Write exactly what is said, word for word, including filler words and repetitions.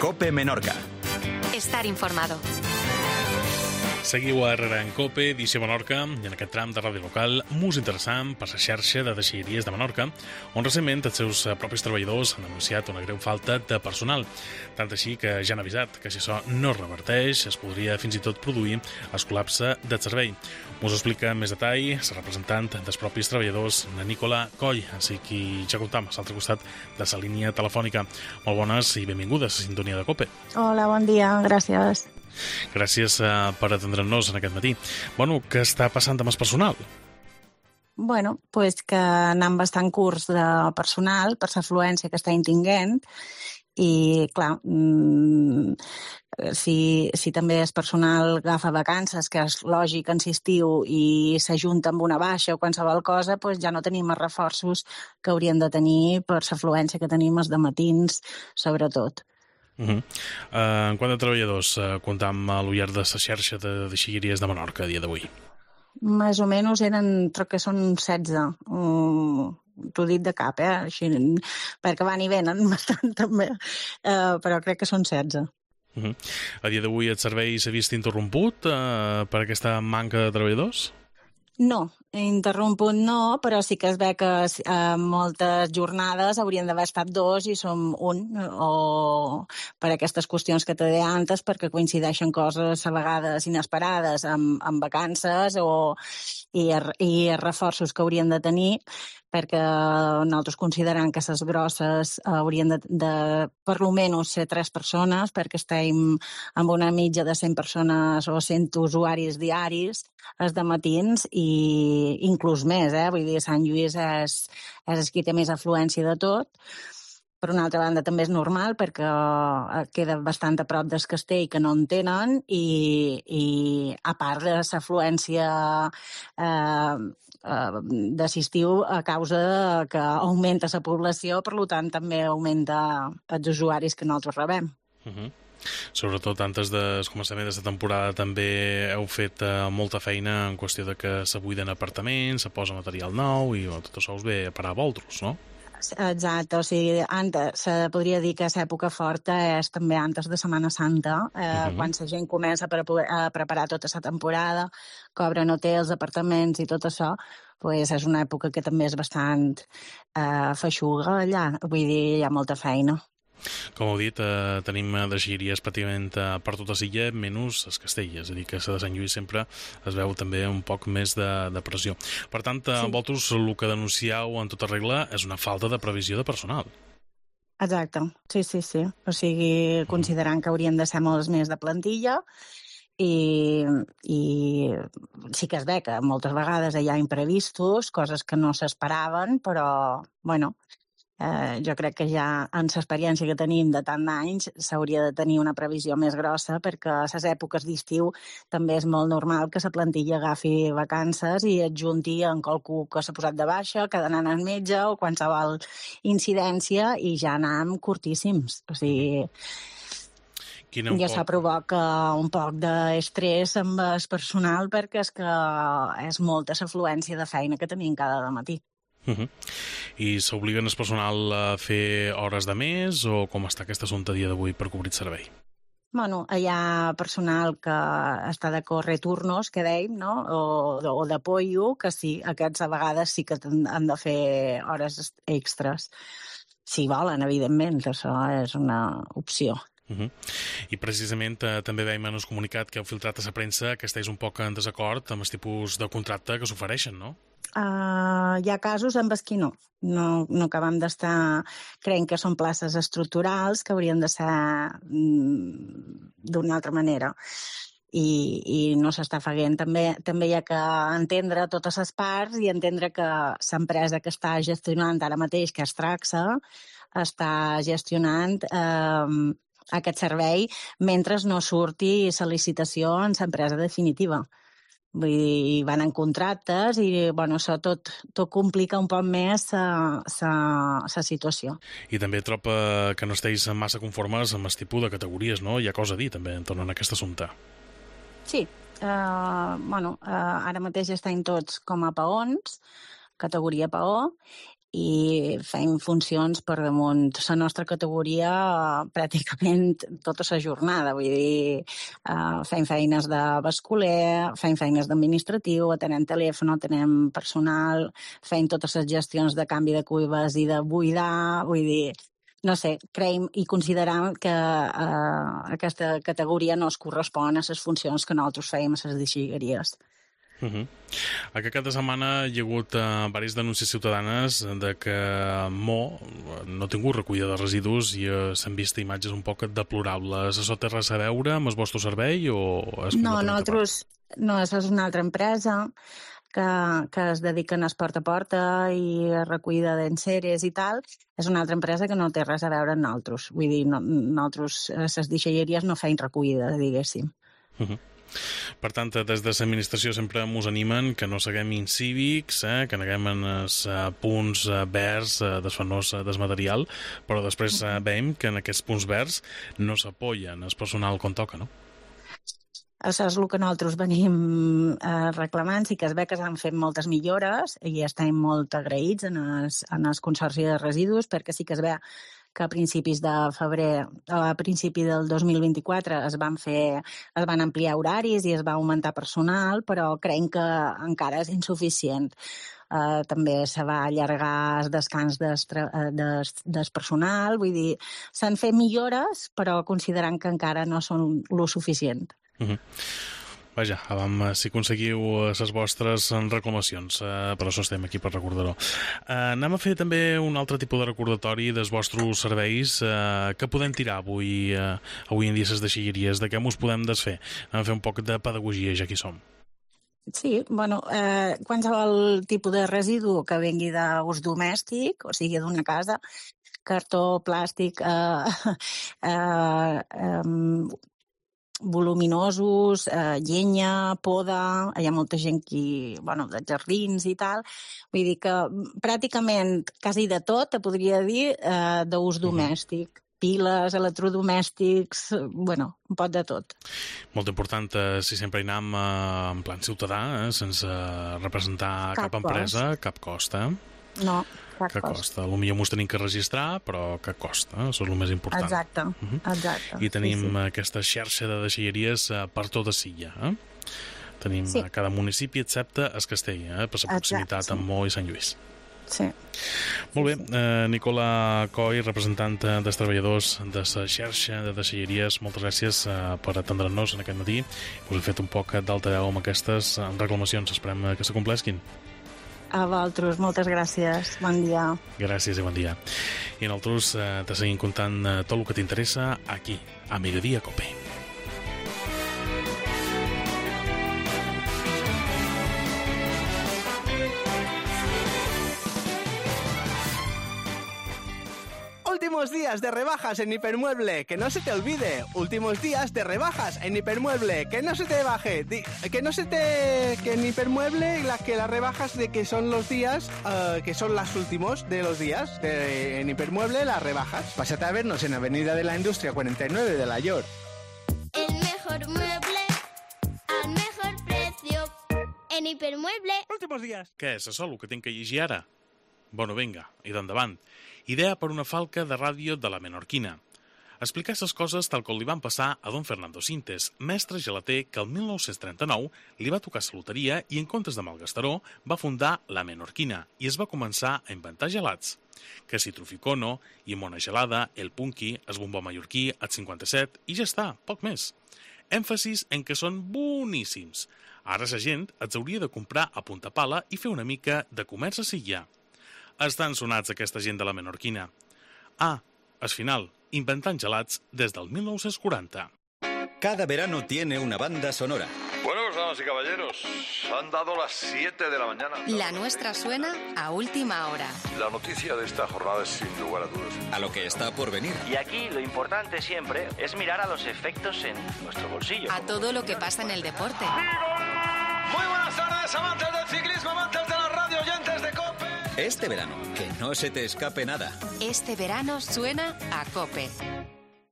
COPE Menorca. Estar informado. Seguiu a Herrera en COPE, edició Menorca, i en aquest tram de ràdio local mos interessant per la xarxa de deixalleries de Menorca, on recentment els seus propis treballadors han anunciat una greu falta de personal. Tant així que ja han avisat que si això no es reverteix es podria fins i tot produir el col·lapse del servei. Mos ho explica en més detall la representant dels propis treballadors, la Nicola Coll, així que ja comptam a l'altre costat de la línia telefònica. Molt bones i benvingudes a la sintonia de COPE. Hola, bon dia, gràcies. Gràcies uh, per atendre'ns en aquest matí. Bueno, què està passant amb el personal? Bueno, pues que anem bastant curts de personal per l'afluència que estem tinguent i, clar, mmm, si, si també el personal agafa vacances, que és lògic en l'estiu, i s'ajunta amb una baixa o qualsevol cosa, pues ja no tenim els reforços que hauríem de tenir per l'afluència que tenim els dematins, sobretot. Uh -huh. uh, en quant a treballadors uh, comptam a l'ullar de la xarxa de deixalleries de Menorca a dia d'avui? Més o menys eren, crec que són setze. Um, t'ho dit de cap, eh? Així, perquè van i venen bastant també, uh, però crec que són setze. Uh -huh. A dia d'avui el servei s'ha vist interromput uh, per aquesta manca de treballadors? No, interromput no, però sí que es ve que eh, moltes jornades haurien d'haver estat dos i som un, o per aquestes qüestions que te deia antes, perquè coincideixen coses a vegades inesperades amb, amb vacances o, i, i reforços que haurien de tenir, perquè nosaltres considerem que les grosses haurien de, de per almenys ser tres persones, perquè estem amb una mitja de cent persones o cent usuaris diaris els dematins i inclús més, eh? Vull dir, Sant Lluís és, és el qui té més afluència de tot. Per una altra banda, també és normal perquè queda bastant a prop del castell que no en tenen i, i a part de l'afluència eh, de l'estiu a causa que augmenta la població, per tant també augmenta els usuaris que nosaltres rebem. Uh -huh. Sobretot antes del començament d'aquesta temporada també heu fet eh, molta feina en qüestió de que se buiden apartaments, se posa material nou i oh, tot això us ve a parar a vosaltres, no? Exacte, o sigui, antes, se podria dir que l'època forta és també antes de Setmana Santa, eh, uh-huh. quan la gent comença a, pre- a preparar tota la temporada, cobren hotels, apartaments i tot això, pues és una època que també és bastant eh, feixuga allà, vull dir, hi ha molta feina. Com heu dit, eh, tenim deixalleries pràcticament eh, per tota l'illa, menys el castell, és a dir, que la de Sant Lluís sempre es veu també un poc més de, de pressió. Per tant, sí. a vosaltres el que denuncieu en tota regla és una falta de previsió de personal. Exacte, sí, sí, sí. O sigui, considerant que haurien de ser molts més de plantilla i, i sí que es ve que moltes vegades hi ha imprevistos, coses que no s'esperaven, però, bueno, Eh, jo crec que ja en l'experiència que tenim de tant d'anys s'hauria de tenir una previsió més grossa, perquè a les èpoques d'estiu també és molt normal que la plantilla agafi vacances i et junti en qualcú que s'ha posat de baixa, que ha d'anar al metge o qualsevol incidència i ja anem curtíssims. O sigui, Quina un ja poc... això provoca un poc d'estrès amb el personal perquè és que és molta l'afluència de feina que tenim cada matí. Uh -huh. I s'obliguen el personal a fer hores de més o com està aquest assumpte a dia d'avui per cobrir el servei? Bueno, hi ha personal que està de córrer turnos, que dèiem, no? o, o d'apoyo, que sí, aquests a vegades sí que han de fer hores extres. Si volen, evidentment, això és una opció. Uh -huh. I precisament eh, també veiem en el comunicat que heu filtrat a la premsa que estigués un poc en desacord amb el tipus de contracte que s'ofereixen, no? Uh, hi ha casos en els que no. No, no acabem d'estar... Creiem que són places estructurals que haurien de ser mm, d'una altra manera. I, i no s'està fent. També, també hi ha que entendre totes les parts i entendre que l'empresa que està gestionant ara mateix, que és Traxa, està gestionant eh, aquest servei mentre no surti la licitació en l'empresa definitiva. Vull dir, van en contractes i, bueno, això tot, tot complica un poc més la situació. I també trobo que no esteu massa conformes amb el tipus de categories, no? Hi ha cosa a dir, també, en torno a aquest assumpte. Sí. Uh, bueno, uh, ara mateix estem tots com a peons, categoria peó, i fem funcions per damunt la nostra categoria pràcticament tota la jornada. Vull dir, uh, fem feines de basculer, fem feines d'administratiu, atenem telèfon, atenem personal, fem totes les gestions de canvi de cuives i de buidar, vull dir, no sé, creiem i consideram que uh, aquesta categoria no es correspon a les funcions que nosaltres fèiem a les deixalleries. Uh -huh. Aquest cap de setmana hi ha hagut uh, diverses denúncies ciutadanes de que Mo no ha tingut recollida de residus i uh, s'han vist imatges un poc deplorables. Això té res a veure amb el vostre servei o és no, nosaltres, no, això és una altra empresa que, que es dediquen a porta a porta i a recollida d'enceres i tal. És una altra empresa que no té res a veure amb nosaltres. Vull dir, no, nosaltres, les deixalleries no feim recollida, diguéssim. Uh -huh. Per tant, des de l'administració sempre ens animen que no seguem incívics, eh, que neguem en els uh, punts uh, verds uh, desfanós uh, del material, però després uh, veiem que en aquests punts verds no s'apoyen el personal com toca, no? Això és el que nosaltres venim eh, reclamant. Sí que es ve que s'han fet moltes millores i estem molt agraïts en el, en el Consorci de Residus, perquè sí que es ve que a principis de febrer, a principi del dos mil vint-i-quatre es van fer, es van ampliar horaris i es va augmentar personal, però creiem que encara és insuficient. Uh, també se va allargar el descans del, des, des personal, vull dir, s'han fet millores, però considerant que encara no són lo suficient. Uh-huh. Vaja, vam, si aconseguiu les vostres reclamacions, eh, per això estem aquí per recordar-ho. Eh, anem a fer també un altre tipus de recordatori dels vostres serveis eh, que podem tirar avui, eh, avui en dia les deixalleries, de què us podem desfer. Anem a fer un poc de pedagogia, ja que hi som. Sí, bueno, eh, qualsevol tipus de residu que vengui d'ús domèstic, o sigui, d'una casa, cartó, plàstic, eh, eh, eh, voluminosos, eh, llenya, poda, hi ha molta gent que, bueno, de jardins i tal, vull dir que pràcticament quasi de tot, te podria dir, eh, d'ús domèstic. Piles, electrodomèstics, bueno, un pot de tot. Molt important, eh, si sempre hi anem eh, en plan ciutadà, eh, sense representar cap, cap empresa, cap cost, eh? No, cap que cost. costa. Potser m'ho tenim que registrar, però que costa, això és el més important. Exacte, uh-huh. exacte. I tenim sí, sí. aquesta xarxa de deixalleries eh, per tota Silla, eh? Tenim sí. a cada municipi, excepte el Castell, eh? Per la proximitat sí. amb Mo i Sant Lluís. Sí. Molt bé, eh, Nicola Coll, representant dels treballadors de la xarxa de deixalleries, moltes gràcies eh, per atendre'ns en aquest matí. Us he fet un poc d'altaveu amb aquestes reclamacions, esperem que se complesquin. A vosaltres, moltes gràcies, bon dia. Gràcies i bon dia. I nosaltres eh, te seguim contant eh, tot el que t'interessa aquí, a Mediodía Cope. Últimos días de rebajas en Hipermueble, que no se te olvide. Últimos días de rebajas en Hipermueble, que no se te baje. Di, que no se te... Que en Hipermueble, la, que las rebajas de que son los días, uh, que son los últimos de los días. De, en Hipermueble, las rebajas. Pásate a vernos en Avenida de la Industria cuarenta y nueve de La York. El mejor mueble, al mejor precio, en Hipermueble. Últimos días. Què és això, el que tinc que llegir ara? Bueno, vinga, i d'endavant. Idea per una falca de ràdio de la Menorquina. Explicar les coses tal com li van passar a don Fernando Sintes, mestre gelater que el mil nou-cents trenta-nou li va tocar la loteria i en comptes de Malgastaró va fundar la Menorquina i es va començar a inventar gelats. Que si Truficono, Llimona Gelada, el Punky, el Bombó Mallorquí, el cinquanta-set i ja està, poc més. Èmfasis en que són boníssims. Ara la gent els hauria de comprar a punta pala i fer una mica de comerç a Silla. Estan sonats aquesta gent de la Menorquina. Ah, al final, inventant gelats des del mil nou-cents quaranta. Cada verano tiene una banda sonora. Bueno, pues damas y caballeros, han dado las siete de la mañana. La nuestra suena a última hora. La noticia de esta jornada es sin lugar a dudas. A lo que está por venir. Y aquí lo importante siempre es mirar a los efectos en nuestro bolsillo. A todo lo que pasa en el deporte. Muy buenas tardes, amantes del ciclismo, amantes de la radio, oyentes de COPE. Este verano, que no se te escape nada. Este verano suena a COPE.